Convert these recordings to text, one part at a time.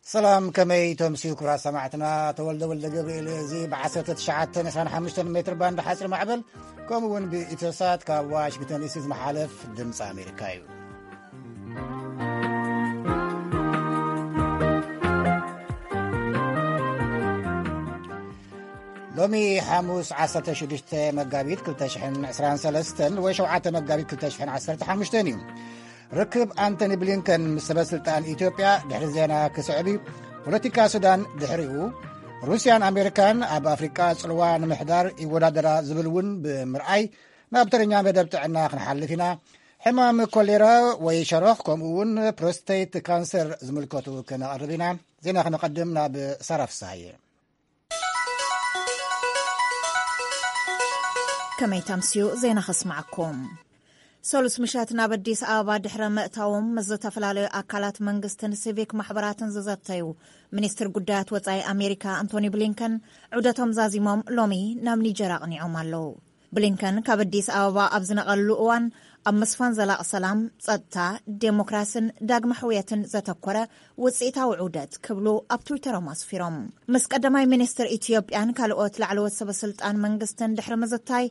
ሰላም፣ ከመይ ተምስዩ ክቡራት ሰማዕትና? ተወልደ ወልደ ገብርኤል። እዚ ብ1925 ሜትር ባንድ ሓፂር ማዕበል፣ ከምኡ እውን ብኢትዮሳት ካብ ዋሽንግተን ዲሲ ዝመሓለፍ ድምፂ ኣሜሪካ እዩ። ሎሚ ሓሙስ 16 መጋቢት 2023 ወይ 7 መጋቢት 2015 እዩ። ርክብ ኣንቶኒ ብሊንከን ምስ ሰበ ስልጣን ኢትዮጵያ ድሕሪ ዜና ክስዕብ እዩ። ፖለቲካ ሱዳን ድሕሪኡ፣ ሩስያን ኣሜሪካን ኣብ ኣፍሪቃ ጽልዋ ንምሕዳር ይወዳደራ ዝብል እውን ብምርኣይ፣ ናብ ተረኛ መደብ ጥዕና ክንሓልፍ ኢና። ሕማም ኮሌራ ወይ ሸሮኽ፣ ከምኡ እውን ፕሮስቴት ካንሰር ዝምልከቱ ክነቕርብ ኢና። ዜና ክነቐድም ናብ ሳራ ፍስሃየ። ከመይ ተምስዩ ዜና ከስማዓኩም። ሰሉስ ምሸት ናብ ኣዲስ ኣበባ ድሕሪ ምእታዎም፣ ምስ ዝተፈላለዩ ኣካላት መንግስትን ሲቪክ ማሕበራትን ዝዘተዩ ሚኒስትር ጉዳያት ወጻኢ ኣሜሪካ ኣንቶኒ ብሊንከን፣ ዑደቶም ዛዚሞም ሎሚ ናብ ኒጀር ኣቕኒዖም ኣለዉ። ብሊንከን ካብ ኣዲስ ኣበባ ኣብ ዝነቐሉ እዋን፣ ኣብ ምስፋን ዘላቕ ሰላም፣ ጸጥታ፣ ዴሞክራስን ዳግመ ሕውየትን ዘተኮረ ውጽኢታዊ ዑደት ክብሉ ኣብ ትዊተሮም ኣስፊሮም። ምስ ቀዳማይ ሚኒስትር ኢትዮጵያን ካልኦት ላዕለዎት ሰበ ስልጣን መንግስትን ድሕሪ ምዝታይ፣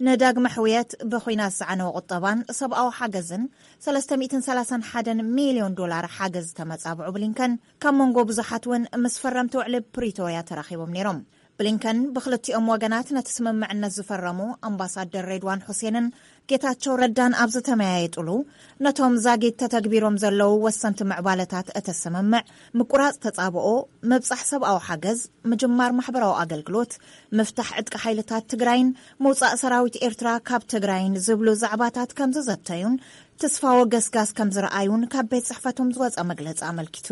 ንዳግመ ሕውየት፣ ብኹናት ዝዓነወ ቁጠባን ሰብኣዊ ሓገዝን 331 ሚልዮን ዶላር ሓገዝ ዝተመጻብዑ ብሊንከን፣ ካብ መንጎ ብዙሓት እውን ምስ ፈረምቲ ውዕሊ ፕሪቶርያ ተራኺቦም ነይሮም። ብሊንከን ብክልቲኦም ወገናት ነቲ ስምምዕነት ዝፈረሙ ኣምባሳደር ሬድዋን ሑሴንን ጌታቸው ረዳን ኣብ ዝተመያየጡሉ፣ ነቶም ዛጊት ተተግቢሮም ዘለዉ ወሰንቲ ምዕባለታት እቲ ስምምዕ፣ ምቁራጽ ተጻብኦ፣ ምብጻሕ ሰብኣዊ ሓገዝ፣ ምጅማር ማሕበራዊ ኣገልግሎት፣ ምፍታሕ ዕጥቂ ሓይልታት ትግራይን ምውጻእ ሰራዊት ኤርትራ ካብ ትግራይን ዝብሉ ዛዕባታት ከም ዝዘተዩን፣ ተስፋ ወገስጋስ ከም ዝረኣዩን ካብ ቤት ጽሕፈቶም ዝወጸ መግለጺ ኣመልኪቱ።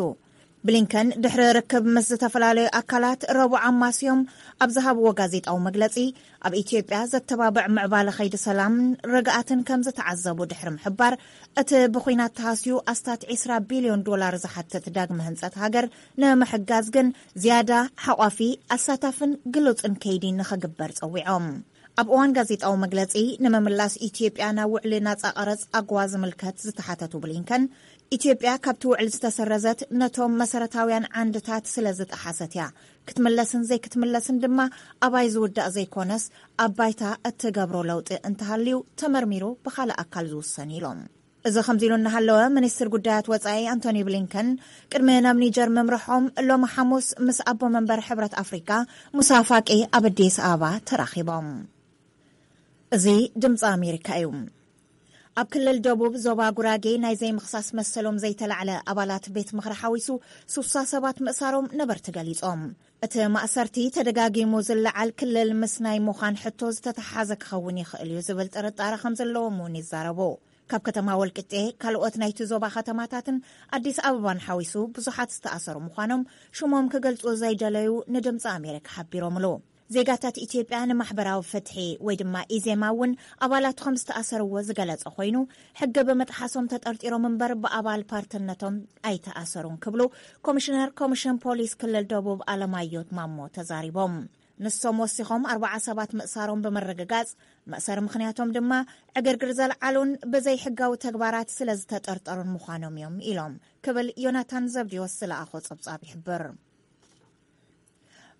ብሊንከን ድሕሪ ርክብ ምስ ዝተፈላለዩ ኣካላት ረቡዕ ኣማስዮም ኣብ ዝሃብዎ ጋዜጣዊ መግለጺ፣ ኣብ ኢትዮጵያ ዘተባብዕ ምዕባለ ከይዲ ሰላምን ርግኣትን ከም ዝተዓዘቡ ድሕሪ ምሕባር፣ እቲ ብኹናት ተሃስዩ ኣስታት 20 ቢልዮን ዶላር ዝሓትት ዳግመ ህንጸት ሃገር ንምሕጋዝ ግን ዝያዳ ሓቋፊ፣ ኣሳታፍን ግሉጽን ከይዲ ንኽግበር ጸዊዖም። ኣብ እዋን ጋዜጣዊ መግለጺ፣ ንምምላስ ኢትዮጵያ ናብ ውዕሊ ናጻ ቀረጽ ኣጎዋ ዝምልከት ዝተሓተቱ ብሊንከን፣ ኢትዮጵያ ካብቲ ውዕል ዝተሰረዘት ነቶም መሰረታውያን ዓንድታት ስለ ዝጠሓሰት እያ። ክትምለስን ዘይክትምለስን ድማ ኣባይ ዝውዳእ ዘይኮነስ፣ ኣብ ባይታ እትገብሮ ለውጢ እንተሃልዩ ተመርሚሩ ብኻልእ ኣካል ዝውሰን ኢሎም። እዚ ከምዚ ኢሉ እናሃለወ፣ ሚኒስትር ጉዳያት ወጻኢ ኣንቶኒ ብሊንከን ቅድሚ ናብ ኒጀር ምምርሖም፣ ሎሚ ሓሙስ ምስ ኣቦ መንበር ሕብረት ኣፍሪካ ሙሳ ፋቂ ኣብ ኣዲስ ኣበባ ተራኺቦም። እዚ ድምፂ ኣሜሪካ እዩ። ኣብ ክልል ደቡብ ዞባ ጉራጌ ናይ ዘይምኽሳስ መሰሎም ዘይተላዕለ ኣባላት ቤት ምኽሪ ሓዊሱ 60 ሰባት ምእሳሮም ነበርቲ ገሊጾም። እቲ ማእሰርቲ ተደጋጊሙ ዝለዓል ክልል ምስ ናይ ምዃን ሕቶ ዝተተሓዘ ክኸውን ይኽእል እዩ ዝብል ጥርጣረ ከም ዘለዎም እውን ይዛረቡ። ካብ ከተማ ወልቂጤ፣ ካልኦት ናይቲ ዞባ ከተማታትን ኣዲስ ኣበባን ሓዊሱ ብዙሓት ዝተኣሰሩ ምዃኖም ሽሞም ክገልጹ ዘይደለዩ ንድምፂ ኣሜሪካ ሓቢሮምሉ። ዜጋታት ኢትዮጵያ ንማሕበራዊ ፍትሒ ወይ ድማ ኢዜማ እውን ኣባላቱ ከም ዝተኣሰርዎ ዝገለጸ ኮይኑ፣ ሕጊ ብምጥሓሶም ተጠርጢሮም እምበር ብኣባል ፓርትነቶም ኣይተኣሰሩን ክብሉ ኮሚሽነር ኮሚሽን ፖሊስ ክልል ደቡብ ኣለማዮ ማሞ ተዛሪቦም። ንሶም ወሲኾም ኣርባዓ ሰባት ምእሳሮም ብምርግጋጽ፣ መእሰሪ ምኽንያቶም ድማ ዕግርግር ዘልዓሉን ብዘይ ሕጋዊ ተግባራት ስለ ዝተጠርጠሩን ምዃኖም እዮም ኢሎም ክብል ዮናታን ዘብዲዎስ ዝለኣኾ ጸብጻብ ይሕብር።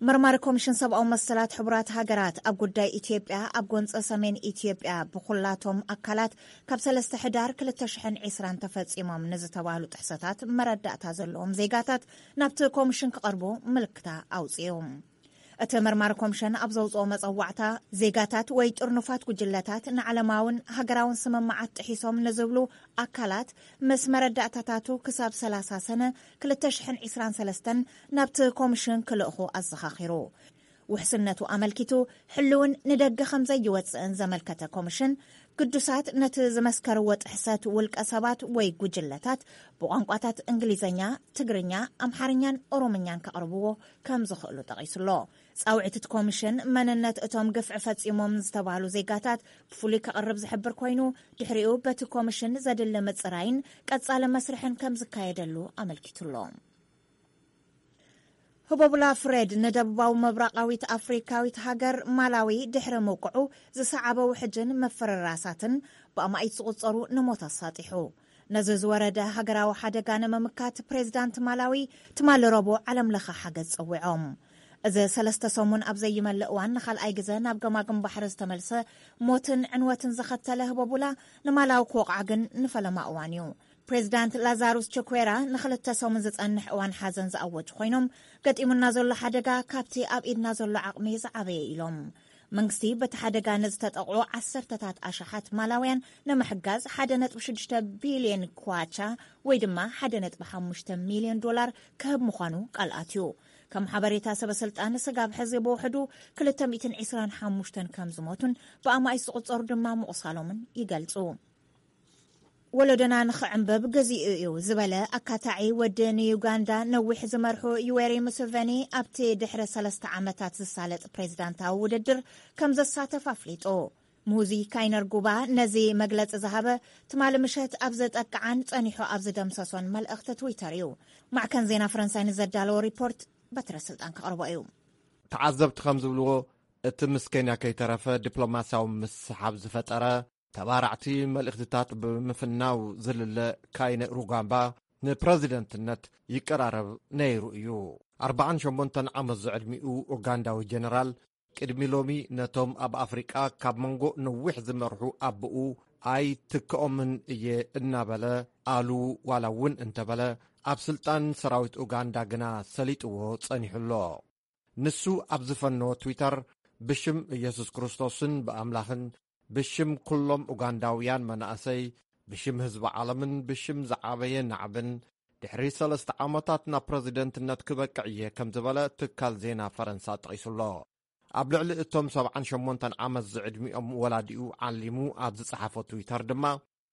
መርማሪ ኮሚሽን ሰብኣዊ መሰላት ሕቡራት ሃገራት ኣብ ጉዳይ ኢትዮጵያ፣ ኣብ ጎንፂ ሰሜን ኢትዮጵያ ብኩላቶም ኣካላት ካብ 3 ሕዳር 2020 ተፈፂሞም ንዝተባህሉ ጥሕሰታት መረዳእታ ዘለዎም ዜጋታት ናብቲ ኮሚሽን ክቐርቡ ምልክታ ኣውፅኡ። እቲ መርማሪ ኮሚሽን ኣብ ዘውፅኦ መፀዋዕታ፣ ዜጋታት ወይ ጥርኑፋት ጉጅለታት ንዓለማውን ሃገራውን ስምምዓት ጥሒሶም ንዝብሉ ኣካላት ምስ መረዳእታታቱ ክሳብ 30 ሰነ 2023 ናብቲ ኮሚሽን ክልእኹ ኣዘኻኺሩ። ውሕስነቱ ኣመልኪቱ፣ ሕልውን ንደገ ከም ዘይወፅእን ዘመልከተ ኮሚሽን፣ ግዱሳት ነቲ ዝመስከርዎ ጥሕሰት ውልቀ ሰባት ወይ ጉጅለታት ብቋንቋታት እንግሊዝኛ፣ ትግርኛ፣ ኣምሓርኛን ኦሮምኛን ከቕርብዎ ከም ዝኽእሉ ጠቒሱሎ። ጻውዒት እቲ ኮሚሽን፣ መንነት እቶም ግፍዒ ፈጺሞም ዝተባህሉ ዜጋታት ብፍሉይ ከቕርብ ዝሕብር ኮይኑ፣ ድሕሪኡ በቲ ኮሚሽን ዘድሊ ምጽራይን ቀጻሊ መስርሕን ከም ዝካየደሉ ኣመልኪቱሎ። ህቦብላ ፍሬድ ንደቡባዊ ምብራቓዊት ኣፍሪካዊት ሃገር ማላዊ ድሕሪ ምውቅዑ፣ ዝሰዓበ ውሕጅን ምፍርራሳትን ብኣማኢት ዝቑጸሩ ንሞት ኣሳጢሑ። ነዚ ዝወረደ ሃገራዊ ሓደጋ ንምምካት ፕሬዚዳንት ማላዊ ትማሊ ረቡዕ ዓለም ለኸ ሓገዝ ጸዊዖም። እዚ ሰለስተ ሰሙን ኣብ ዘይመልእ እዋን ንኻልኣይ ግዘ ናብ ገማግም ባሕሪ ዝተመልሰ ሞትን ዕንወትን ዘኸተለ ህቦቡላ ንማላዊ ክወቕዓ ግን ንፈለማ እዋን እዩ። ፕሬዚዳንት ላዛሩስ ቸኩዌራ ንክልተ ሰሙን ዝጸንሕ እዋን ሓዘን ዝኣወጁ ኮይኖም፣ ገጢሙና ዘሎ ሓደጋ ካብቲ ኣብ ኢድና ዘሎ ዓቕሚ ዝዓበየ ኢሎም። መንግስቲ በቲ ሓደጋ ንዝተጠቕዑ ዓሰርተታት ኣሽሓት ማላውያን ንምሕጋዝ ሓደ ነጥቢ ሽዱሽተ ቢልዮን ኳቻ ወይ ድማ ሓደ ነጥቢ ሓሙሽተ ሚልዮን ዶላር ክህብ ምዃኑ ቃል ኣትዩ። ከም ሓበሬታ ሰበ ስልጣን ስጋብ ሕዚ ብውሕዱ ክልተ ሚእትን ዕስራን ሓሙሽተን ከም ዝሞቱን ብኣማኢት ዝቑጸሩ ድማ ምቑሳሎምን ይገልጹ። ወለዶና ንኽዕንብብ ግዚኡ እዩ ዝበለ ኣካታዒ ወዲ ንዩጋንዳ ነዊሕ ዝመርሑ ዩዌሪ ሙስቨኒ ኣብቲ ድሕሪ ሰለስተ ዓመታት ዝሳለጥ ፕሬዝዳንታዊ ውድድር ከም ዘሳተፍ ኣፍሊጡ። ሙዚ ካይነርጉባ ነዚ መግለጺ ዝሃበ ትማሊ ምሸት ኣብ ዘጠቅዓን ጸኒሑ ኣብ ዝደምሰሶን መልእኽቲ ትዊተር እዩ። ማዕከን ዜና ፈረንሳይ ንዘዳለዎ ሪፖርት በትረ ስልጣን ከቕርቦ እዩ። ተዓዘብቲ ከም ዝብልዎ፣ እቲ ምስ ኬንያ ከይተረፈ ዲፕሎማስያዊ ምስሓብ ዝፈጠረ፣ ተባራዕቲ መልእኽትታት ብምፍናው ዝልለ ካይነ ሩጋምባ ንፕረዚደንትነት ይቀራረብ ነይሩ እዩ። ኣርባዓን ሸሞንተን ዓመት ዝዕድሚኡ ኡጋንዳዊ ጀነራል፣ ቅድሚ ሎሚ ነቶም ኣብ ኣፍሪቃ ካብ መንጎ ነዊሕ ዝመርሑ ኣቦኡ ኣይትክኦምን እየ እናበለ፣ ኣሉ ዋላ እውን እንተበለ፣ ኣብ ስልጣን ሰራዊት ኡጋንዳ ግና ሰሊጥዎ ጸኒሑ ኣሎ። ንሱ ኣብ ዝፈነዎ ትዊተር፣ ብሽም ኢየሱስ ክርስቶስን ብኣምላኽን ብሽም ኩሎም ኡጋንዳውያን መናእሰይ፣ ብሽም ህዝቢ ዓለምን ብሽም ዝዓበየ ናዕብን፣ ድሕሪ ሰለስተ ዓመታት ናብ ፕረዚደንትነት ክበቅዕ እየ ከም ዝበለ ትካል ዜና ፈረንሳ ጠቒሱ ኣሎ። ኣብ ልዕሊ እቶም ሰብዓን ሸሞንተን ዓመት ዝዕድሚኦም ወላዲኡ ዓሊሙ ኣብ ዝጸሓፎ ትዊተር ድማ፣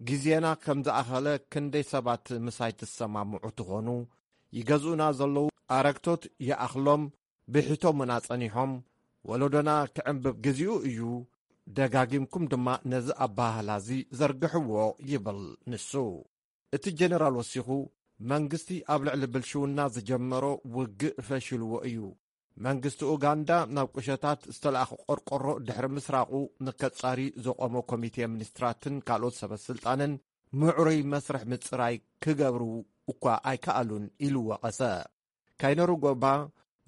ግዜና ከም ዝኣኸለ ክንደይ ሰባት ምሳይ ትሰማምዑ ትኾኑ? ይገዝኡና ዘለዉ ኣረግቶት ይኣኽሎም፣ ብሒቶምና ጸኒሖም፣ ወለዶና ክዕንብብ ግዜኡ እዩ፣ ደጋጊምኩም ድማ ነዚ ኣባህላዚ ዘርግሕዎ ይብል ንሱ። እቲ ጀነራል ወሲኹ፣ መንግስቲ ኣብ ልዕሊ ብልሽውና ዝጀመሮ ውግእ ፈሺልዎ እዩ። መንግስቲ ኡጋንዳ ናብ ቁሸታት ዝተለኣኸ ቆርቆሮ ድሕሪ ምስራቑ ንከጻሪ ዘቖሞ ኮሚቴ ሚኒስትራትን ካልኦት ሰበ ስልጣንን ምዕሩይ መስርሕ ምጽራይ ክገብሩ እኳ ኣይከኣሉን ኢሉ ወቐሰ። ካይነሩጎባ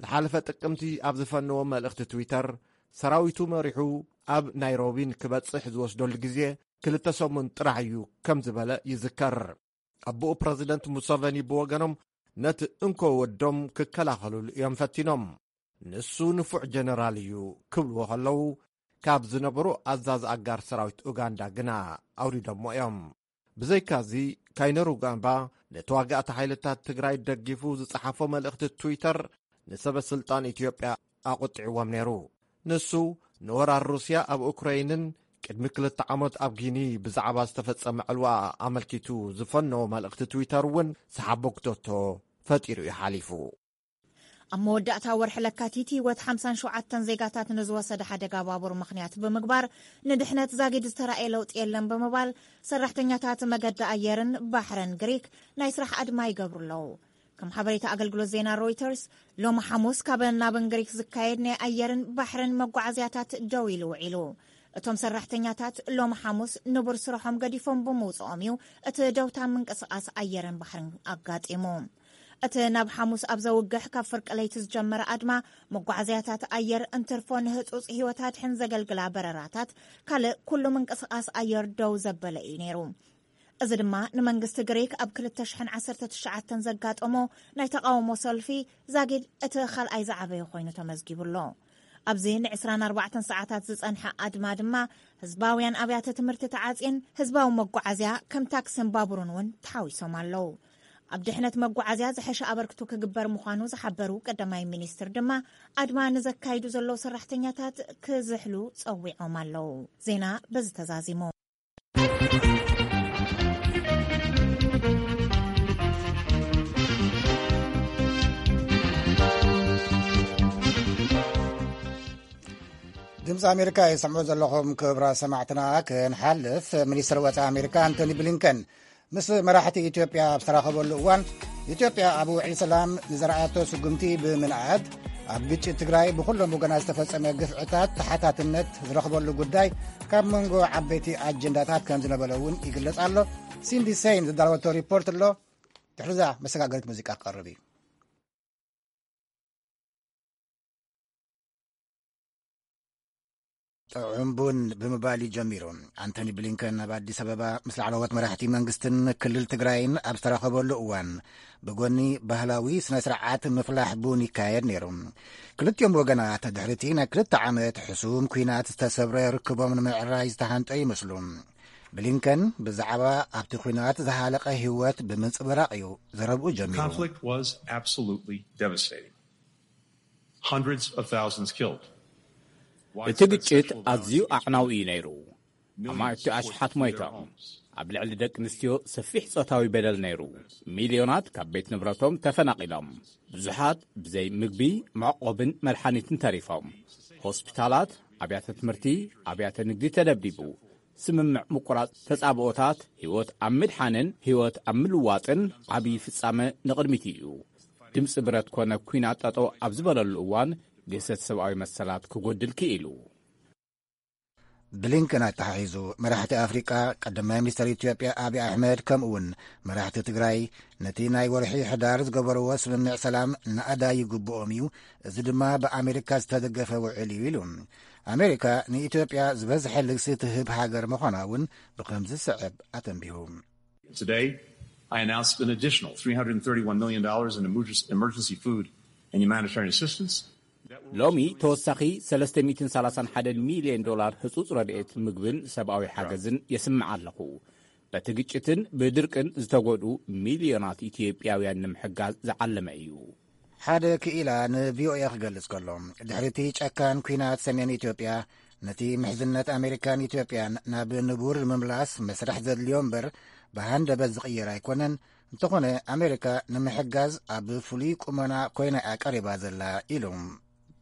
ዝሓለፈ ጥቅምቲ ኣብ ዝፈነዎ መልእኽቲ ትዊተር፣ ሰራዊቱ መሪሑ ኣብ ናይሮቢ ንክበጽሕ ዝወስደሉ ግዜ ክልተ ሰሙን ጥራሕ እዩ ከም ዝበለ ይዝከር። ኣቦኡ ፕረዚደንት ሙሰቨኒ ብወገኖም ነቲ እንኮ ወዶም ክከላኸሉሉ እዮም ፈቲኖም። ንሱ ንፉዕ ጀነራል እዩ ክብልዎ ከለዉ፣ ካብ ዝነበሩ ኣዛዚ ኣጋር ሰራዊት ኡጋንዳ ግና ኣውሪዶሞ እዮም። ብዘይካዚ፣ ካይነሩጋምባ ንተዋጋእቲ ሓይልታት ትግራይ ደጊፉ ዝጸሓፎ መልእኽቲ ትዊተር ንሰበ ስልጣን ኢትዮጵያ ኣቑጢዕዎም ነይሩ። ንሱ ንወራር ሩስያ ኣብ ኡክረይንን ቅድሚ ክልተ ዓመት ኣብ ጊኒ ብዛዕባ ዝተፈጸመ ዕልዋ ኣመልኪቱ ዝፈነዎ መልእኽቲ ትዊተር እውን ሰሓቦክቶቶ ፈጢሩ እዩ ሓሊፉ። ኣብ መወዳእታ ወርሒ ለካቲት ህይወት ሓምሳን ሸውዓተን ዜጋታት ንዝወሰደ ሓደጋ ባቡር ምኽንያት ብምግባር፣ ንድሕነት ዛጊድ ዝተራእየ ለውጢ የለን ብምባል፣ ሰራሕተኛታት መገዲ ኣየርን ባሕርን ግሪክ ናይ ስራሕ ኣድማ ይገብሩ ኣለዉ። ከም ሓበሬታ ኣገልግሎት ዜና ሮይተርስ፣ ሎሚ ሓሙስ ካብ ናብን ግሪክ ዝካየድ ናይ ኣየርን ባሕርን መጓዓዝያታት ደው ኢሉ ውዒሉ። እቶም ሰራሕተኛታት ሎሚ ሓሙስ ንቡር ስርሖም ገዲፎም ብምውፅኦም እዩ እቲ ደውታ ምንቅስቓስ ኣየርን ባሕርን ኣጋጢሙ። እቲ ናብ ሓሙስ ኣብ ዘውግሕ ካብ ፍርቂ ለይቲ ዝጀመረ ኣድማ፣ መጓዓዝያታት ኣየር እንትርፎ ንህጹጽ ህይወት ኣድሕን ዘገልግላ በረራታት፣ ካልእ ኩሉ ምንቅስቓስ ኣየር ደው ዘበለ እዩ ነይሩ። እዚ ድማ ንመንግስቲ ግሪክ ኣብ ክልተ ሽሕን ዓሰርተ ትሽዓተን ዘጋጠሞ ናይ ተቓውሞ ሰልፊ ዛጊድ እቲ ካልኣይ ዝዓበየ ኮይኑ ተመዝጊቡ ኣሎ። ኣብዚ ን ዕስራን ኣርባዕተን ሰዓታት ዝጸንሐ ኣድማ ድማ፣ ህዝባውያን ኣብያተ ትምህርቲ ተዓጽየን፣ ህዝባዊ መጓዓዝያ ከም ታክስን ባቡርን እውን ተሓዊሶም ኣለዉ። ኣብ ድሕነት መጓዓዝያ ዝሐሸ ኣበርክቶ ክግበር ምዃኑ ዝሓበሩ ቀዳማይ ሚኒስትር ድማ፣ ኣድማ ንዘካይዱ ዘለዉ ሰራሕተኛታት ክዝሕሉ ጸዊዖም ኣለዉ። ዜና በዚ ተዛዚሙ። ድምፂ ኣሜሪካ የሰምዑ ዘለኹም ክብራ ሰማዕትና። ክንሓልፍ፣ ሚኒስትር ወፃኢ ኣሜሪካ ኣንቶኒ ብሊንከን ምስ መራሕቲ ኢትዮጵያ ኣብ ዝተራኸበሉ እዋን፣ ኢትዮጵያ ኣብ ውዕሊ ሰላም ንዘርኣቶ ስጉምቲ ብምንኣድ፣ ኣብ ግጭት ትግራይ ብኹሎም ወገናት ዝተፈጸመ ግፍዕታት ተሓታትነት ዝረኽበሉ ጉዳይ ካብ መንጎ ዓበይቲ ኣጀንዳታት ከም ዝነበረ እውን ይግለጽ ኣሎ። ሲንዲ ሰይን ዝዳለወቶ ሪፖርት ኣሎ። ድሕሪዛ መሰጋገሪት ሙዚቃ ክቐርብ እዩ። ጥዑም ቡን ብምባል እዩ ጀሚሩ። ኣንቶኒ ብሊንከን ኣብ ኣዲስ ኣበባ ምስ ላዕለዎት መራሕቲ መንግስትን ክልል ትግራይን ኣብ ዝተራኸበሉ እዋን፣ ብጎኒ ባህላዊ ስነ ስርዓት ምፍላሕ ቡን ይካየድ ነይሩ። ክልቲኦም ወገናት ድሕሪቲ ናይ ክልተ ዓመት ሕሱም ኲናት ዝተሰብረ ርክቦም ንምዕራይ ዝተሃንጠ ይመስሉ። ብሊንከን ብዛዕባ ኣብቲ ኲናት ዝሃለቐ ህይወት ብምንጽብራቕ እዩ ዘረብኡ ጀሚሩ። Conflict was absolutely devastating. Hundreds of thousands killed. እቲ ግጭት ኣዝዩ ኣዕናዊ እዩ ነይሩ። ኣማእቲ ኣሽሓት ሞይቶም። ኣብ ልዕሊ ደቂ ኣንስትዮ ሰፊሕ ጾታዊ በደል ነይሩ። ሚልዮናት ካብ ቤት ንብረቶም ተፈናቒሎም። ብዙሓት ብዘይ ምግቢ፣ መዕቆብን መድሓኒትን ተሪፎም። ሆስፒታላት፣ ኣብያተ ትምህርቲ፣ ኣብያተ ንግዲ ተደብዲቡ። ስምምዕ ምቁራጽ ተጻብኦታት፣ ህይወት ኣብ ምድሓንን ህይወት ኣብ ምልዋጥን ዓብዪ ፍጻመ ንቕድሚት እዩ። ድምጺ ብረት ኮነ ኲናት ጠጠው ኣብ ዝበለሉ እዋን፣ ግህሰት ሰብኣዊ መሰላት ክጎድል ክኢሉ። ብሊንከን ኣተሓሒዙ፣ መራሕቲ ኣፍሪቃ፣ ቀዳማይ ሚኒስተር ኢትዮጵያ ኣብይ ኣሕመድ፣ ከምኡ እውን መራሕቲ ትግራይ፣ ነቲ ናይ ወርሒ ሕዳር ዝገበርዎ ስምምዕ ሰላም ናእዳ ይግብኦም እዩ፣ እዚ ድማ ብኣሜሪካ ዝተደገፈ ውዕል እዩ ኢሉ። ኣሜሪካ ንኢትዮጵያ ዝበዝሐ ልግሲ ትህብ ሃገር ምዃና እውን ብኸምዚ ዝስዕብ ኣተንቢሁ። Today, I announced an additional three hundred thirty-one million dollars in emergency, emergency food and humanitarian assistance. ሎሚ ተወሳኺ ሰለስተ ሚእትን ሰላሳን ሓደን ሚልዮን ዶላር ህጹጽ ረድኤት ምግብን ሰብኣዊ ሓገዝን የስምዕ ኣለኹ። በቲ ግጭትን ብድርቅን ዝተጎድኡ ሚልዮናት ኢትዮጵያውያን ንምሕጋዝ ዝዓለመ እዩ። ሓደ ክኢላ ንቪኦኤ ክገልጽ ከሎ፣ ድሕሪቲ ጨካን ኲናት ሰሜን ኢትዮጵያ፣ ነቲ ምሕዝነት ኣሜሪካን ኢትዮጵያን ናብ ንቡር ንምምላስ መስርሕ ዘድልዮ እምበር፣ ብሃንደበት ዝቕየር ኣይኮነን። እንተኾነ፣ ኣሜሪካ ንምሕጋዝ ኣብ ፍሉይ ቁመና ኮይና እያ ቀሪባ ዘላ ኢሉ።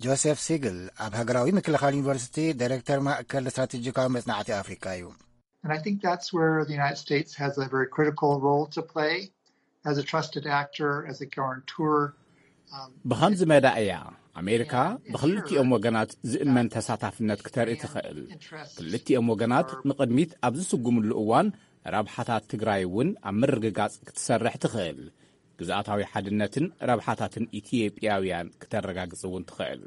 ጆሴፍ ሲግል ኣብ ሃገራዊ ምክልኻል ዩኒቨርሲቲ ዳይሬክተር ማእከል ስትራቴጂካዊ መጽናዕቲ ኣፍሪካ እዩ። And I think that's where the United States has a very critical role to play as a trusted actor, as a guarantor. Um, ብኸምዚ መዳ እያ ኣሜሪካ ብኽልቲኦም ወገናት ዝእመን ተሳታፍነት ክተርኢ ትኽእል። ክልቲኦም ወገናት ንቕድሚት ኣብ ዝስጉምሉ እዋን፣ ረብሓታት ትግራይ እውን ኣብ ምርግጋጽ ክትሰርሕ ትኽእል። ግዝኣታዊ ሓድነትን ረብሓታትን ኢትዮጵያውያን ክተረጋግጽ እውን ትኽእል።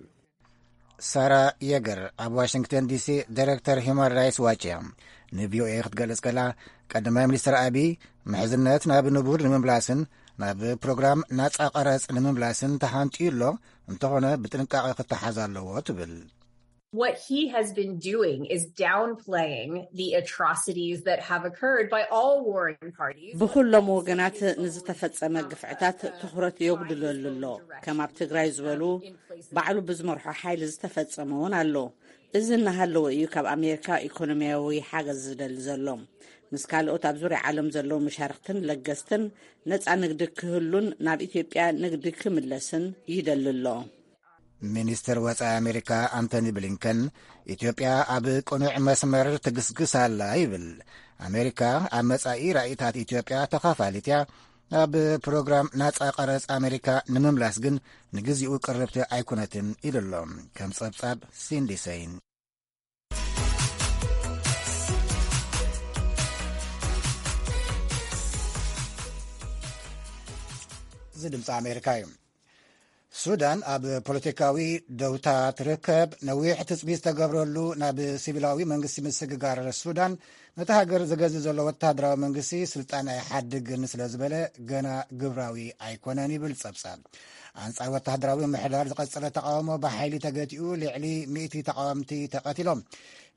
ሳራ የገር ኣብ ዋሽንግተን ዲሲ ዳይሬክተር ሂውማን ራይትስ ዋች እያ። ንቪኦኤ ክትገልጽ ከላ፣ ቀዳማይ ሚኒስትር ኣቢይ ምሕዝነት ናብ ንቡር ንምምላስን ናብ ፕሮግራም ናጻ ቀረጽ ንምምላስን ተሃንጥዩ ኣሎ፣ እንተኾነ ብጥንቃቐ ክተሓዝ ኣለዎ ትብል። What he has been doing is downplaying the atrocities that have occurred by all warring parties. ብኹሎም ወገናት ንዝተፈጸመ ግፍዕታት ትኹረት የጉድለሉ ኣሎ። ከም ኣብ ትግራይ ዝበሉ ባዕሉ ብዝመርሖ ሓይሊ ዝተፈጸመ እውን ኣሎ። እዚ እናሃለወ እዩ ካብ ኣሜሪካ ኢኮኖሚያዊ ሓገዝ ዝደሊ ዘሎ። ምስ ካልኦት ኣብ ዙርያ ዓለም ዘለዉ መሻርክትን ለገስትን ነፃ ንግዲ ክህሉን ናብ ኢትዮጵያ ንግዲ ክምለስን ይደሊ ኣሎ። ሚኒስትር ወጻኢ ኣሜሪካ ኣንቶኒ ብሊንከን፣ ኢትዮጵያ ኣብ ቅኑዕ መስመር ትግስግስ ኣላ ይብል። ኣሜሪካ ኣብ መጻኢ ራእይታት ኢትዮጵያ ተኻፋሊት እያ። ኣብ ፕሮግራም ናጻ ቀረጽ ኣሜሪካ ንምምላስ ግን ንግዚኡ ቅርብቲ ኣይኮነትን ኢሉ ኣሎ። ከም ጸብጻብ ሲንዲ ሰይን። እዚ ድምፂ ኣሜሪካ እዩ። ሱዳን ኣብ ፖለቲካዊ ደውታ ትርከብ። ነዊሕ ትፅቢት ዝተገብረሉ ናብ ሲቪላዊ መንግስቲ ምስግጋር ሱዳን፣ ነቲ ሃገር ዝገዝእ ዘሎ ወታደራዊ መንግስቲ ስልጣን ኣይሓድግን ስለ ዝበለ፣ ገና ግብራዊ ኣይኮነን ይብል ጸብጻብ። ኣንጻር ወታደራዊ ምሕዳር ዝቐጸለ ተቃውሞ ብሓይሊ ተገቲኡ፣ ልዕሊ ሚእቲ ተቃወምቲ ተቐቲሎም።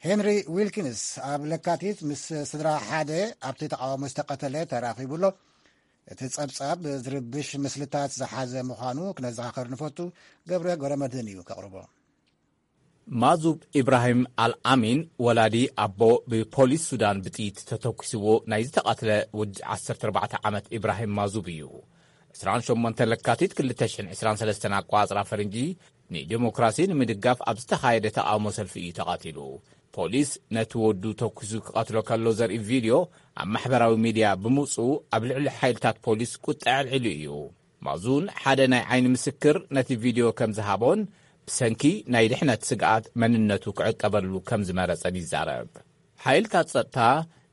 ሄንሪ ዊልኪንስ ኣብ ለካቲት ምስ ስድራ ሓደ ኣብቲ ተቃውሞ ዝተቐተለ ተራኺቡ ኣሎ። እቲ ጸብጻብ ዝርብሽ ምስልታት ዝሓዘ ምዃኑ ክነዘኻኸር ንፈቱ። ገብረ ገብረ መድህን እዩ ከቕርቦ። ማዙብ ኢብራሂም ኣልኣሚን፣ ወላዲ ኣቦ፣ ብፖሊስ ሱዳን ብጥይት ተተኲስዎ ናይ ዝተቐትለ ወዲ ዓሰርተ ኣርባዕተ ዓመት ኢብራሂም ማዙብ እዩ። ዕስራን ሸሞንተ ለካቲት ክልተ ሽሕን ዕስራን ሰለስተን ኣቋጽራ ፈረንጂ፣ ንዲሞክራሲ ንምድጋፍ ኣብ ዝተኻየደ ተቓውሞ ሰልፊ እዩ ተቐቲሉ። ፖሊስ ነቲ ወዱ ተኲሱ ክቐትሎ ከሎ ዘርኢ ቪድዮ ኣብ ማሕበራዊ ሚድያ ብምውጽኡ፣ ኣብ ልዕሊ ሓይልታት ፖሊስ ቁጥዐ ኣልዒሉ እዩ። ማዙን ሓደ ናይ ዓይኒ ምስክር ነቲ ቪድዮ ከም ዝሃቦን ብሰንኪ ናይ ድሕነት ስግኣት መንነቱ ክዕቀበሉ ከም ዝመረጸን ይዛረብ። ሓይልታት ጸጥታ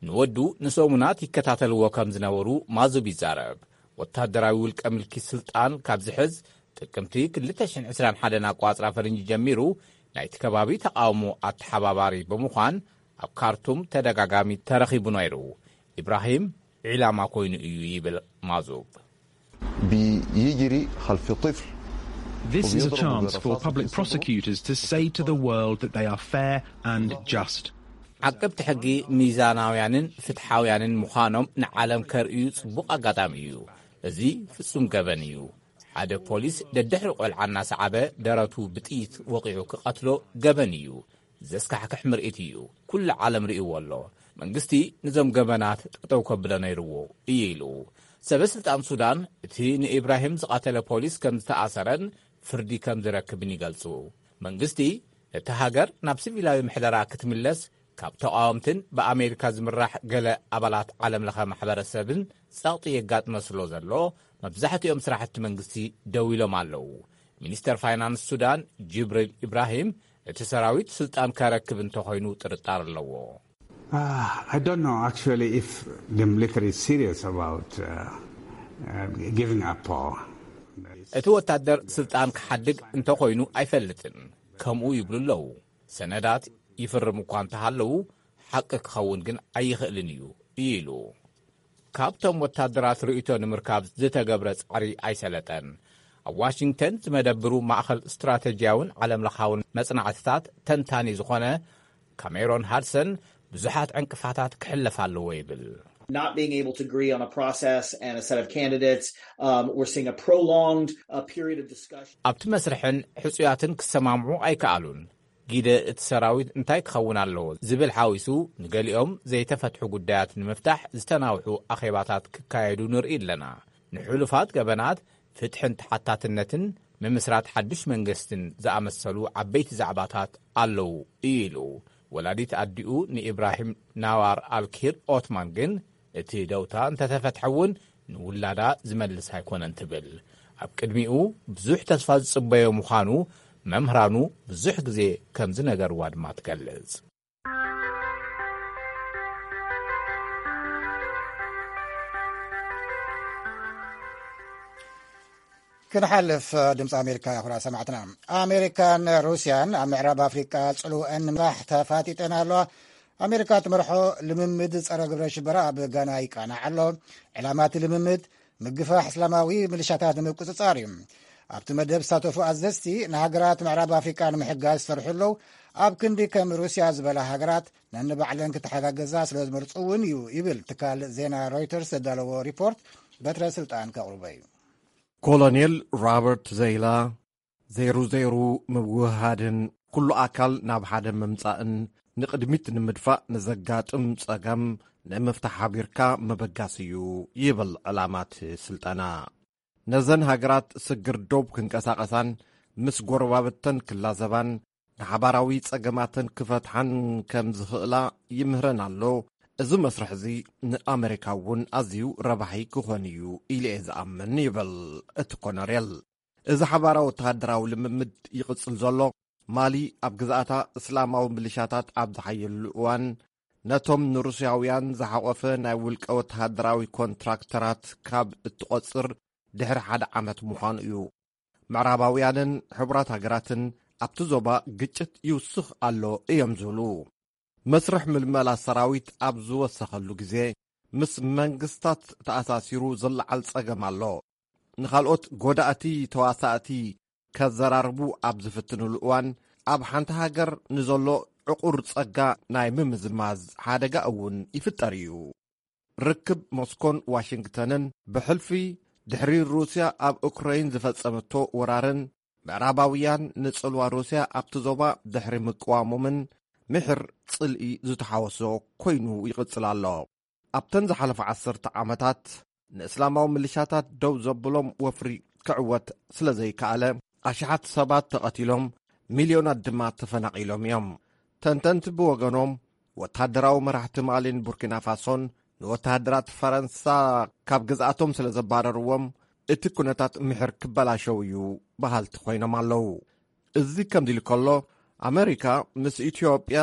ንወዱ ንሰሙናት ይከታተልዎ ከም ዝነበሩ ማዙብ ይዛረብ። ወታደራዊ ውልቀ ምልኪ ስልጣን ካብ ዝሕዝ ጥቅምቲ ክልተ ሽሕን ዕስራን ሓደን ኣቋጽራ ፈረንጂ ጀሚሩ ናይቲ ከባቢ ተቃውሞ ኣተሓባባሪ ብምዃን ኣብ ካርቱም ተደጋጋሚ ተረኺቡ ነይሩ። ኢብራሂም ዒላማ ኮይኑ እዩ ይብል ማዙብ። بيجري خلف طفل This is a chance for public prosecutors to say to the world that they are fair and just. ዓቀብቲ ሕጊ ሚዛናውያንን ፍትሓውያንን ምዃኖም ንዓለም ከርእዩ ጽቡቕ ኣጋጣሚ እዩ። እዚ ፍጹም ገበን እዩ። ሓደ ፖሊስ ደድሕሪ ቆልዓ እናሰዓበ ደረቱ ብጥይት ወቒዑ ክቐትሎ ገበን እዩ። ዘስካሕክሕ ምርኢት እዩ። ኩሉ ዓለም ርእይዎ ኣሎ። መንግስቲ ንዞም ገበናት ጠጠው ከብሎ ነይርዎ እዩ ኢሉ። ሰበ ስልጣን ሱዳን እቲ ንኢብራሂም ዝቐተለ ፖሊስ ከም ዝተኣሰረን ፍርዲ ከም ዝረክብን ይገልጹ። መንግስቲ ነቲ ሃገር ናብ ሲቪላዊ ምሕደራ ክትምለስ ካብ ተቓወምትን ብኣሜሪካ ዝምራሕ ገለ ኣባላት ዓለም ለኸ ማሕበረሰብን ጸቕጢ የጋጥመ ስሎ ዘሎ መብዛሕትኦም ስራሕቲ መንግስቲ ደው ኢሎም ኣለዉ። ሚኒስተር ፋይናንስ ሱዳን ጅብሪል ኢብራሂም እቲ ሰራዊት ስልጣን ከረክብ እንተኾይኑ ጥርጣር ኣለዎ። Uh, I don't know actually if the military is serious about uh, uh, giving up power. እቲ ወታደር ስልጣን ክሓድግ እንተኾይኑ ኣይፈልጥን። ከምኡ ይብሉ ኣለዉ። ሰነዳት ይፍርም እኳ እንተሃለዉ ሓቂ ክኸውን ግን ኣይኽእልን እዩ ኢሉ። ካብቶም ወታደራት ርእይቶ ንምርካብ ዝተገብረ ጻዕሪ ኣይሰለጠን። ኣብ ዋሽንግተን ዝመደብሩ ማእኸል ስትራተጂያውን ዓለምለኻውን መጽናዕትታት ተንታኒ ዝኾነ ካሜሮን ሃድሰን ብዙሓት ዕንቅፋታት ክሕለፍ ኣለዎ ይብል። Not being able to agree on a process and a set of candidates. Um, we're seeing a prolonged uh, period of discussion. ኣብቲ መስርሕን ሕጹያትን ክሰማምዑ ኣይከኣሉን። ጊደ እቲ ሰራዊት እንታይ ክኸውን ኣለዎ ዝብል ሓዊሱ ንገሊኦም ዘይተፈትሑ ጉዳያት ንምፍታሕ ዝተናውሑ ኣኼባታት ክካየዱ ንርኢ ኣለና። ንሕሉፋት ገበናት ፍትሕን ተሓታትነትን ምምስራት ሓድሽ መንግስትን ዝኣመሰሉ ዓበይቲ ዛዕባታት ኣለዉ እዩ ኢሉ። ወላዲት ኣዲኡ ንኢብራሂም ናዋር ኣልኪር ኦትማን ግን እቲ ደውታ እንተተፈትሐ እውን ንውላዳ ዝመልስ ኣይኮነን ትብል። ኣብ ቅድሚኡ ብዙሕ ተስፋ ዝጽበዮ ምዃኑ መምህራኑ ብዙሕ ግዜ ከም ዝነገርዋ ድማ ትገልጽ። ክንሓልፍ ድምፂ ኣሜሪካ ኩራ ሰማዕትና። ኣሜሪካን ሩስያን ኣብ ምዕራብ ኣፍሪቃ ጽልወአን ንምራሕ ተፋጢጠን ኣለዋ። ኣሜሪካ ትመርሖ ልምምድ ጸረ ግብረ ሽበራ ኣብ ጋና ይቃናዕ ኣሎ። ዕላማ እቲ ልምምድ ምግፋሕ እስላማዊ ምልሻታት ንምቁጽጻር እዩ። ኣብቲ መደብ ዝሳተፉ ኣዘዝቲ ንሃገራት ምዕራብ ኣፍሪቃ ንምሕጋዝ ዝሰርሑ ኣለዉ። ኣብ ክንዲ ከም ሩስያ ዝበላ ሃገራት ነንባዕለን ክተሓጋገዛ ስለ ዝመርጹ እውን እዩ ይብል ትካል ዜና ሮይተርስ ዘዳለዎ ሪፖርት። በትረ ስልጣን ከቕርቦ እዩ። ኮሎኔል ሮበርት ዜይላ ዘይሩ ዘይሩ ምውህሃድን ኩሉ ኣካል ናብ ሓደ ምምጻእን ንቕድሚት ንምድፋእ ንዘጋጥም ጸገም ንምፍታሕ ሓቢርካ ምብጋስ እዩ ይብል ዕላማት ስልጠና። ነዘን ሃገራት ስግር ዶብ ክንቀሳቐሳን ምስ ጎረባብተን ክላዘባን ንሓባራዊ ጸገማተን ክፈትሓን ከም ዝኽእላ ይምህረን ኣሎ። እዚ መስርሕ እዚ ንኣመሪካ እውን ኣዝዩ ረባሒ ክኾን እዩ ኢለ እየ ዝኣምን ይብል እቲ ኮነሬል። እዚ ሓባራዊ ወተሃደራዊ ልምምድ ይቕጽል ዘሎ ማሊ ኣብ ግዝኣታ እስላማዊ ምልሻታት ኣብ ዝሓየሉ እዋን ነቶም ንሩስያውያን ዝሓቖፈ ናይ ውልቀ ወተሃደራዊ ኮንትራክተራት ካብ እትቖጽር ድሕሪ ሓደ ዓመት ምዃኑ እዩ። ምዕራባውያንን ሕቡራት ሃገራትን ኣብቲ ዞባ ግጭት ይውስኽ ኣሎ እዮም ዝብሉ። መስርሕ ምልመላ ሰራዊት ኣብ ዝወሰኸሉ ግዜ ምስ መንግስታት ተኣሳሲሩ ዝለዓል ጸገም ኣሎ። ንኻልኦት ጎዳእቲ ተዋሳእቲ ከዘራርቡ ኣብ ዝፍትንሉ እዋን ኣብ ሓንቲ ሃገር ንዘሎ ዕቑር ጸጋ ናይ ምምዝማዝ ሓደጋ እውን ይፍጠር እዩ። ርክብ ሞስኮን ዋሽንግተንን ብሕልፊ ድሕሪ ሩስያ ኣብ ኡክረይን ዝፈጸመቶ ወራርን ምዕራባውያን ንጽልዋ ሩስያ ኣብቲ ዞባ ድሕሪ ምቅዋሞምን ምሕር ጽልኢ ዝተሓወሶ ኮይኑ ይቕጽል ኣሎ። ኣብተን ዝሓለፋ ዓሰርተ ዓመታት ንእስላማዊ ምልሻታት ደው ዘብሎም ወፍሪ ክዕወት ስለ ዘይከኣለ ኣሽሓት ሰባት ተቐቲሎም፣ ሚልዮናት ድማ ተፈናቒሎም እዮም። ተንተንቲ ብወገኖም ወተሃደራዊ መራሕቲ ማሊን ቡርኪና ፋሶን ንወተሃደራት ፈረንሳ ካብ ግዝኣቶም ስለ ዘባረርዎም እቲ ኩነታት ምሕር ክበላሸው እዩ በሃልቲ ኮይኖም ኣለዉ። እዚ ከምዚ ኢሉ ከሎ፣ ኣመሪካ ምስ ኢትዮጵያ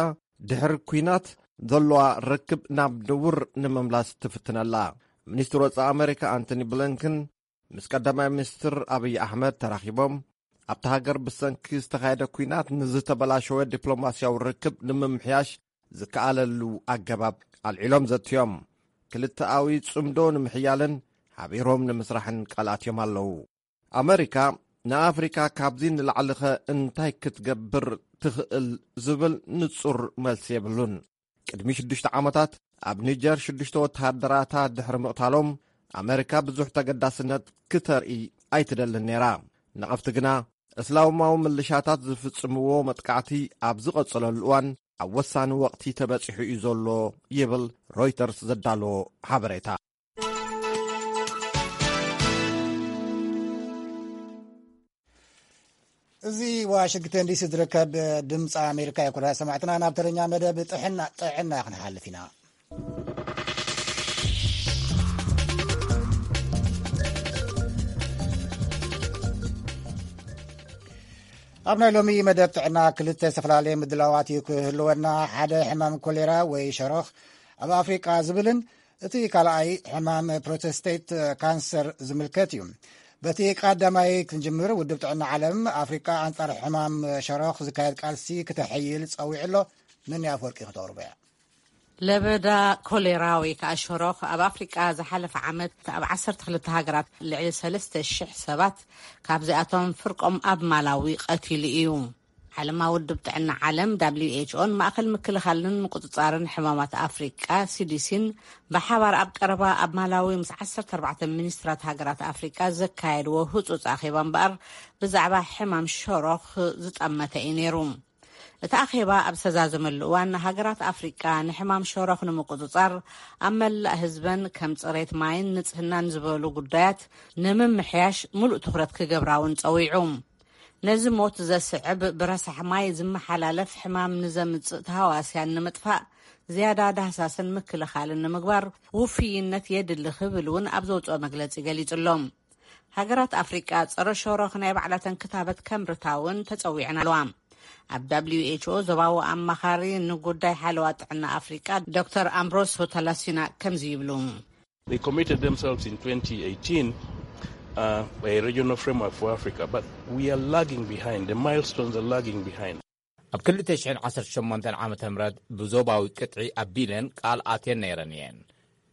ድሕሪ ኲናት ዘለዋ ርክብ ናብ ንቡር ንምምላስ ትፍትነላ። ሚኒስትር ወጻኢ ኣመሪካ ኣንቶኒ ብሊንከን ምስ ቀዳማይ ሚኒስትር ኣብይ ኣሕመድ ተራኺቦም፣ ኣብታ ሃገር ብሰንኪ ዝተኻየደ ኲናት ንዝተበላሸወ ዲፕሎማስያዊ ርክብ ንምምሕያሽ ዝከኣለሉ ኣገባብ ኣልዒሎም ዘትዮም። ክልተኣዊ ጽምዶ ንምሕያልን ሓቢሮም ንምስራሕን ቃል ኣትዮም ኣለዉ። ኣመሪካ ንኣፍሪካ ካብዚ ንላዕሊኸ እንታይ ክትገብር ትኽእል ዝብል ንጹር መልሲ የብሉን። ቅድሚ ሽዱሽተ ዓመታት ኣብ ኒጀር ሽዱሽተ ወተሃደራታ ድሕሪ ምቕታሎም፣ ኣመሪካ ብዙሕ ተገዳስነት ክተርኢ ኣይትደልን ነይራ። ነቐፍቲ ግና፣ እስላማዊ ምልሻታት ዝፍጽምዎ መጥቃዕቲ ኣብ ዝቐጸለሉ እዋን፣ ኣብ ወሳኒ ወቕቲ ተበጺሑ እዩ ዘሎ ይብል ሮይተርስ ዘዳለዎ ሓበሬታ። እዚ ዋሽንግተን ዲሲ ዝርከብ ድምፂ ኣሜሪካ እዩ። ኩራ ሰማዕትና፣ ናብ ተረኛ መደብ ጥዕና ጥዕና ክንሓልፍ ኢና። ኣብ ናይ ሎሚ መደብ ጥዕና ክልተ ዝተፈላለየ ምድላዋት እዩ ክህልወና። ሓደ ሕማም ኮሌራ ወይ ሸሮኽ ኣብ ኣፍሪቃ ዝብልን እቲ ካልኣይ ሕማም ፕሮተስቴት ካንሰር ዝምልከት እዩ። በቲ ቀዳማይ ክንጅምር፣ ውድብ ጥዕና ዓለም ኣፍሪቃ ኣንጻር ሕማም ሸሮኽ ዝካየድ ቃልሲ ክተሐይል ጸዊዑ ኣሎ። ምን ኣፈወርቂ ክተቕርቦ እያ። ለበዳ ኮሌራ ወይ ከዓ ሸሮኽ ኣብ ኣፍሪቃ ዝሓለፈ ዓመት ኣብ ዓሰርተ ክልተ ሃገራት ልዕሊ ሰለስተ ሽሕ ሰባት፣ ካብዚኣቶም ፍርቆም ኣብ ማላዊ ቀቲሉ እዩ። ዓለማ ውድብ ጥዕና ዓለም፣ ደብሊው ኤች ኦን፣ ማእኸል ምክልኻልን ምቁፅፃርን ሕማማት ኣፍሪቃ፣ ሲዲሲን፣ ብሓባር ኣብ ቀረባ ኣብ ማላዊ ምስ ዓሰርተ ኣርባዕተ ሚኒስትራት ሃገራት ኣፍሪቃ ዘካየድዎ ህፁፅ ኣኼባ እምበኣር፣ ብዛዕባ ሕማም ሸሮኽ ዝጠመተ እዩ ነይሩ። እቲ ኣኼባ ኣብ ዝተዛዘመሉ እዋን፣ ሃገራት ኣፍሪቃ ንሕማም ሸሮኽ ንምቁፅፃር ኣብ መላእ ህዝበን ከም ፅሬት ማይን ንፅህናን ዝበሉ ጉዳያት ንምምሕያሽ ሙሉእ ትኹረት ክገብራ እውን ፀዊዑ። ነዚ ሞት ዘስዕብ ብረሳሕ ማይ ዝመሓላለፍ ሕማም ንዘምፅእ ተሃዋስያን ንምጥፋእ፣ ዝያዳ ዳህሳስን ምክልኻልን ንምግባር ውፍይነት የድሊ ክብል እውን ኣብ ዘውፅኦ መግለፂ ገሊፁ ኣሎ። ሃገራት ኣፍሪቃ ጸረ ሸሮኽ ናይ ባዕላተን ክታበት ከምርታ እውን ተጸዊዐን ኣለዋ። ኣብ ደብሊው ኤች ኦ ዞባዊ ኣማኻሪ ንጉዳይ ሓለዋ ጥዕና ኣፍሪቃ ዶክተር ኣምብሮሶ ታላሲና ከምዚ ይብሉ። They committed themselves in twenty eighteen, uh, a regional framework for Africa, but we are lagging behind. The milestones are lagging behind. ኣብ ክልተ ሽሕን ዓሰርተ ሸሞንተን ዓመተ ምህረት ብዞባዊ ቅጥዒ ኣቢለን ቃል ኣትየን ነይረን እየን፣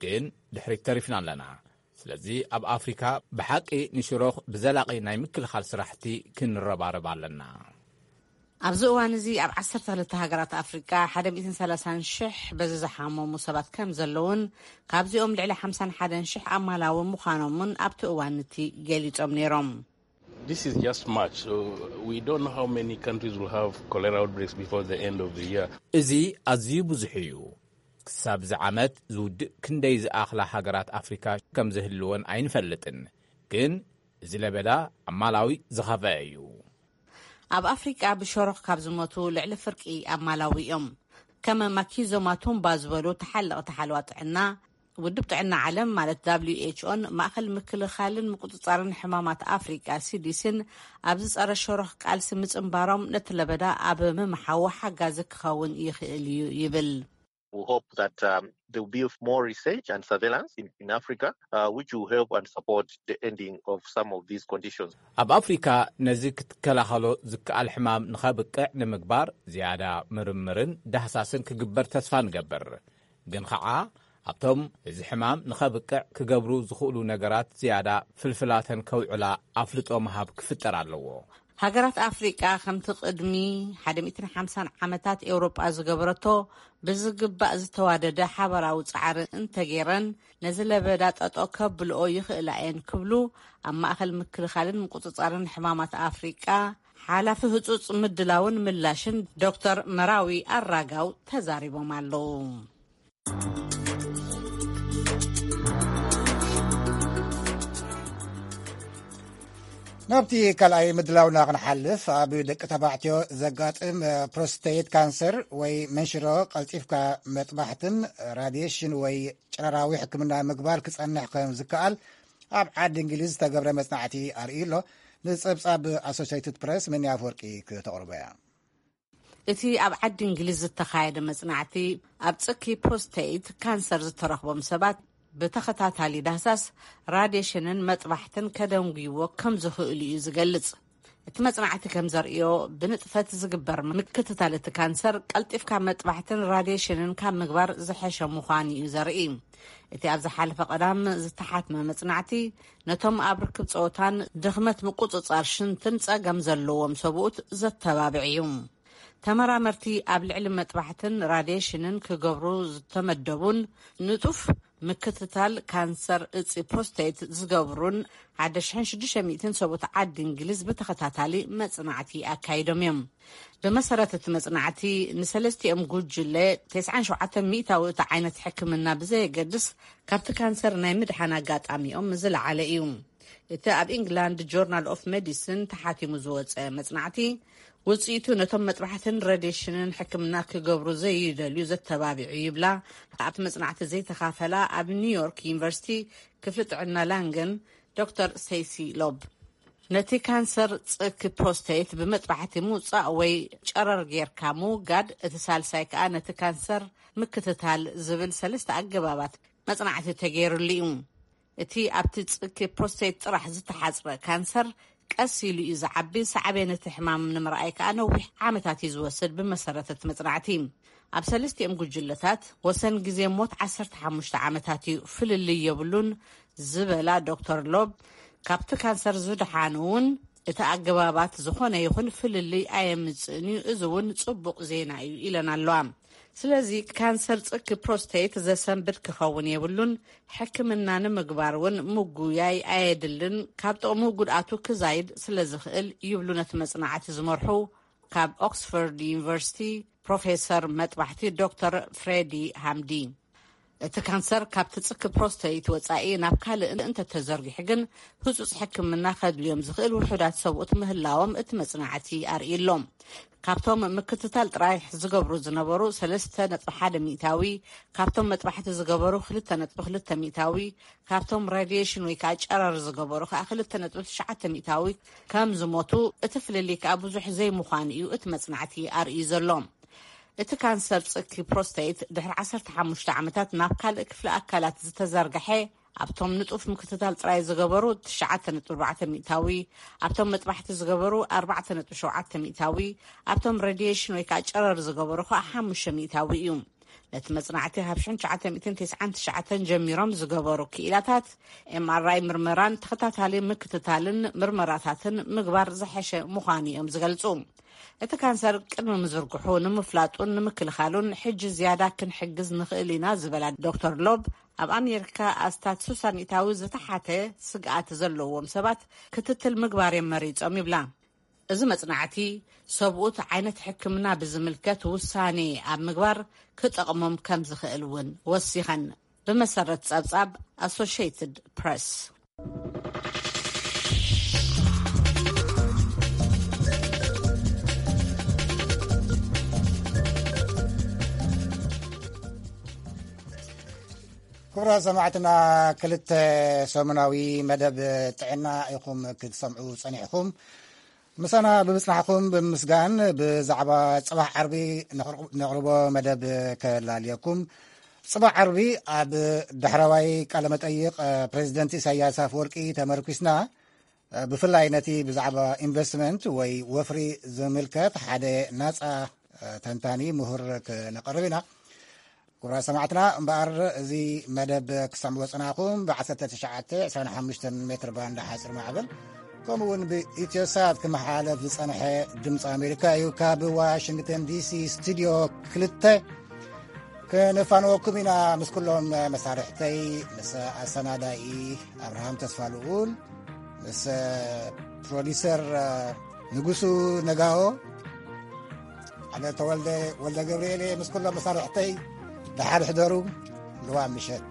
ግን ድሕሪት ተሪፍና ኣለና። ስለዚ ኣብ ኣፍሪካ ብሓቂ ንሽሮኽ ብዘላቒ ናይ ምክልኻል ስራሕቲ ክንረባረብ ኣለና። ኣብዚ እዋን እዚ ኣብ ዓሰርተ ክልተ ሃገራት ኣፍሪቃ ሓደ ሚእትን ሰላሳን ሽሕ በዚ ዝሓመሙ ሰባት ከም ዘለውን፣ ካብዚኦም ልዕሊ ሓምሳን ሓደን ሽሕ ኣማላዊ ምዃኖምን ኣብቲ እዋን እቲ ገሊጾም ነይሮም። This is just March, so we don't know how many countries will have cholera outbreaks before the end of the year. እዚ ኣዝዩ ብዙሕ እዩ። ክሳብ እዚ ዓመት ዝውድእ ክንደይ ዝኣኽላ ሃገራት ኣፍሪካ ከም ዝህልወን ኣይንፈልጥን፣ ግን እዚ ለበዳ ኣብ ማላዊ ዝኸፍአ እዩ። ኣብ ኣፍሪቃ ብሸሮኽ ካብ ዝሞቱ ልዕሊ ፍርቂ ኣብ ማላዊ እዮም። ከም ማኪዞ ማቱምባ ዝበሉ ተሓለቕቲ ሓለዋ ጥዕና፣ ውድብ ጥዕና ዓለም ማለት ደብሊው ኤች ኦን ማእኸል ምክልኻልን ምቁፅፃርን ሕማማት ኣፍሪቃ ሲዲሲን ኣብዚ ጸረ ሸሮኽ ቃልሲ ምጽንባሮም ነቲ ለበዳ ኣብ ምምሓዉ ሓጋዚ ክኸውን ይኽእል እዩ ይብል። We hope that um, there will be more research and surveillance in, in Africa, uh, which will help and support the ending of some of these conditions. ኣብ ኣፍሪካ ነዚ ክትከላኸሎ ዝከኣል ሕማም ንኸብቅዕ ንምግባር ዝያዳ ምርምርን ዳህሳስን ክግበር ተስፋ ንገብር። ግን ኸዓ ኣብቶም እዚ ሕማም ንኸብቅዕ ክገብሩ ዝኽእሉ ነገራት ዝያዳ ፍልፍላተን ከውዕላ ኣፍልጦ ምሃብ ክፍጠር ኣለዎ። ሃገራት ኣፍሪቃ ከምቲ ቅድሚ ሓደ ሚእትን ሓምሳን ዓመታት ኤውሮጳ ዝገበረቶ ብዝግባእ ዝተዋደደ ሓበራዊ ጻዕሪ እንተገይረን ነዚ ለበዳ ጠጦ ከብልኦ ይኽእላ እየን ክብሉ ኣብ ማእኸል ምክልኻልን ምቁጽጻርን ሕማማት ኣፍሪቃ ሓላፊ ህጹጽ ምድላውን ምላሽን ዶክተር መራዊ ኣራጋው ተዛሪቦም ኣለዉ። ናብቲ ካልኣይ ምድላውና ክንሓልፍ፣ ኣብ ደቂ ተባዕትዮ ዘጋጥም ፕሮስቴት ካንሰር ወይ መንሽሮ ቀልጢፍካ መጥባሕትን ራድየሽን ወይ ጨረራዊ ሕክምና ምግባር ክጸንሕ ከም ዝከኣል ኣብ ዓዲ እንግሊዝ ዝተገብረ መጽናዕቲ ኣርእዩ ኣሎ። ንጸብጻብ ኣሶሲየትድ ፕረስ መኒ ኣፈወርቂ ክተቕርቦ እያ። እቲ ኣብ ዓዲ እንግሊዝ ዝተኻየደ መጽናዕቲ፣ ኣብ ጽኪ ፕሮስተይት ካንሰር ዝተረኽቦም ሰባት ብተኸታታሊ ዳህሳስ፣ ራዲሽንን መጥባሕትን ከደንጉይዎ ከም ዝኽእሉ እዩ ዝገልጽ። እቲ መጽናዕቲ ከም ዘርእዮ፣ ብንጥፈት ዝግበር ምክትታል እቲ ካንሰር ቀልጢፍካ መጥባሕትን ራዲሽንን ካብ ምግባር ዝሐሸ ምዃኑ እዩ ዘርኢ። እቲ ኣብ ዝሓለፈ ቀዳም ዝተሓትመ መጽናዕቲ፣ ነቶም ኣብ ርክብ ጸወታን ድኽመት ምቁጽጻር ሽንትን ጸገም ዘለዎም ሰብኡት ዘተባብዕ እዩ። ተመራመርቲ ኣብ ልዕሊ መጥባሕትን ራዲሽንን ክገብሩ ዝተመደቡን ንጡፍ ምክትታል ካንሰር እጺ ፕሮስተይት ዝገብሩን ሓደ ሽሕን ሽዱሽተ ሚእትን ሰብኡት ዓዲ እንግሊዝ ብተኸታታሊ መጽናዕቲ ኣካይዶም እዮም። ብመሰረት እቲ መጽናዕቲ፣ ንሰለስቲኦም ጉጅለ፣ ተስዓን ሸውዓተን ሚእታዊ እቲ ዓይነት ሕክምና ብዘየገድስ፣ ካብቲ ካንሰር ናይ ምድሓን ኣጋጣሚኦም ዝለዓለ እዩ። እቲ ኣብ ኢንግላንድ ጆርናል ኦፍ ሜዲሲን ተሓቲሙ ዝወጸ መጽናዕቲ፣ ውጽኢቱ ነቶም መጥባሕትን ረዲሽንን ሕክምና ክገብሩ ዘይደልዩ ዘተባቢዑ ይብላ ኣብቲ መጽናዕቲ ዘይተኻፈላ ኣብ ኒውዮርክ ዩኒቨርሲቲ ክፍሊ ጥዕና ላንገን ዶክተር ስቴሲ ሎብ። ነቲ ካንሰር ጽኪ ፕሮስተይት ብመጥባሕቲ ምውጻእ ወይ ጨረር ጌርካ ምውጋድ፣ እቲ ሳልሳይ ከኣ ነቲ ካንሰር ምክትታል ዝብል ሰለስተ ኣገባባት መጽናዕቲ ተገይሩሉ እዩ። እቲ ኣብቲ ጽኪ ፕሮስተይት ጥራሕ ዝተሓጽረ ካንሰር ቀስ ኢሉ እዩ ዝዓቢ፣ ሳዕቤን እቲ ሕማም ንምርኣይ ከኣ ነዊሕ ዓመታት እዩ ዝወስድ። ብመሰረት እቲ መጽናዕቲ፣ ኣብ ሰለስቲኦም ጉጅለታት ወሰን ግዜ ሞት ዓሰርተ ሓሙሽተ ዓመታት እዩ፣ ፍልልይ የብሉን ዝበላ ዶክተር ሎብ፣ ካብቲ ካንሰር ዝደሓኑ እውን እቲ ኣገባባት ዝኾነ ይኹን ፍልልይ ኣየምጽእን እዩ፣ እዚ እውን ጽቡቕ ዜና እዩ ኢለን ኣለዋ። ስለዚ ካንሰር ጽኪ ፕሮስተይት ዘሰንብድ ክኸውን የብሉን፣ ሕክምና ንምግባር እውን ምጉያይ ኣየድልን፣ ካብ ጥቕሙ ጉድኣቱ ክዛይድ ስለ ዝኽእል ይብሉ ነቲ መጽናዕቲ ዝመርሑ ካብ ኦክስፎርድ ዩኒቨርሲቲ ፕሮፌሰር መጥባሕቲ ዶክተር ፍሬዲ ሃምዲ። እቲ ካንሰር ካብቲ ጽኪ ፕሮስተይት ወጻኢ ናብ ካልእ እንተተዘርጊሑ ግን ህጹጽ ሕክምና ከድልዮም ዝኽእል ውሑዳት ሰብኡት ምህላዎም እቲ መጽናዕቲ ኣርእዩ ኣሎ። ካብቶም ምክትታል ጥራሕ ዝገብሩ ዝነበሩ ሰለስተ ነጥቢ ሓደ ሚእታዊ፣ ካብቶም መጥባሕቲ ዝገበሩ ክልተ ነጥቢ ክልተ ሚእታዊ፣ ካብቶም ራዲየሽን ወይ ከዓ ጨረር ዝገበሩ ከዓ ክልተ ነጥቢ ትሽዓተ ሚእታዊ ከም ዝሞቱ፣ እቲ ፍልልይ ከዓ ብዙሕ ዘይምዃኑ እዩ እቲ መጽናዕቲ ኣርእዩ ዘሎ። እቲ ካንሰር ጽኪ ፕሮስተይት ድሕሪ ዓሰርተ ሓሙሽተ ዓመታት ናብ ካልእ ክፍሊ ኣካላት ዝተዘርግሐ፣ ኣብቶም ንጡፍ ምክትታል ጥራይ ዝገበሩ ትሽዓተ ነጥቢ ኣርባዕተ ሚእታዊ፣ ኣብቶም መጥባሕቲ ዝገበሩ ኣርባዕተ ነጥቢ ሸውዓተ ሚእታዊ፣ ኣብቶም ሬድየሽን ወይ ከዓ ጨረር ዝገበሩ ከዓ ሓሙሽተ ሚእታዊ እዩ። ነቲ መጽናዕቲ ካብ ሽሕን ትሽዓተ ሚእትን ተስዓን ትሽዓተን ጀሚሮም ዝገበሩ ክኢላታት፣ ኤምኣርኣይ ምርመራን ተኸታታሊ ምክትታልን ምርመራታትን ምግባር ዝሐሸ ምዃኑ እዮም ዝገልጹ። እቲ ካንሰር ቅድሚ ምዝርግሑ ንምፍላጡን ንምክልኻሉን ሕጂ ዝያዳ ክንሕግዝ ንኽእል ኢና ዝበላ ዶክተር ሎብ፣ ኣብ ኣሜሪካ ኣስታት ስሳ ሚእታዊ ዝተሓተ ስግኣት ዘለዎም ሰባት ክትትል ምግባር እዮም መሪጾም ይብላ። እዚ መጽናዕቲ ሰብኡት ዓይነት ሕክምና ብዝምልከት ውሳኔ ኣብ ምግባር ክጠቕሞም ከም ዝኽእል እውን ወሲኸን፣ ብመሰረት ጸብጻብ ኣሶሽየትድ ፕረስ። ክቡራት ሰማዕትና፣ ክልተ ሰሙናዊ መደብ ጥዕና ኢኹም ክትሰምዑ ጸኒሕኹም። ምሳና ብምጽናሕኩም ብምስጋን፣ ብዛዕባ ጽባሕ ዓርቢ ነቕርቦ መደብ ከላልየኩም። ጽባሕ ዓርቢ ኣብ ዳሕረዋይ ቃለ መጠይቕ ፕሬዚደንት ኢሳያስ ኣፈወርቂ ተመርኲስና፣ ብፍላይ ነቲ ብዛዕባ ኢንቨስትመንት ወይ ወፍሪ ዝምልከት ሓደ ናጻ ተንታኒ ምሁር ክነቕርብ ኢና። ክቡራት ሰማዕትና፣ እምበኣር እዚ መደብ ክሰምዕዎ ጸናኹም፣ ብ ዓሰርተ ትሽዓተ ዕስራን ሓሙሽተን ሜትር ባንድ ሓጺር ማዕበል፣ ከምኡ እውን ብኢትዮሳት ክመሓላለፍ ዝጸንሐ ድምፂ ኣሜሪካ እዩ። ካብ ዋሽንግተን ዲሲ ስቱድዮ ክልተ ክነፋንወኩም ኢና፣ ምስ ኩሎም መሳርሕተይ፣ ምስ ኣሰናዳኢ ኣብርሃም ተስፋ ልኡል፣ ምስ ፕሮዲሰር ንጉሱ ነጋኦ፣ ኣነ ተወልደ ወልደ ገብርኤል እየ። ምስ ኩሎም መሳርሕተይ ደሓር ሕደሩ። ልዋ ምሸት።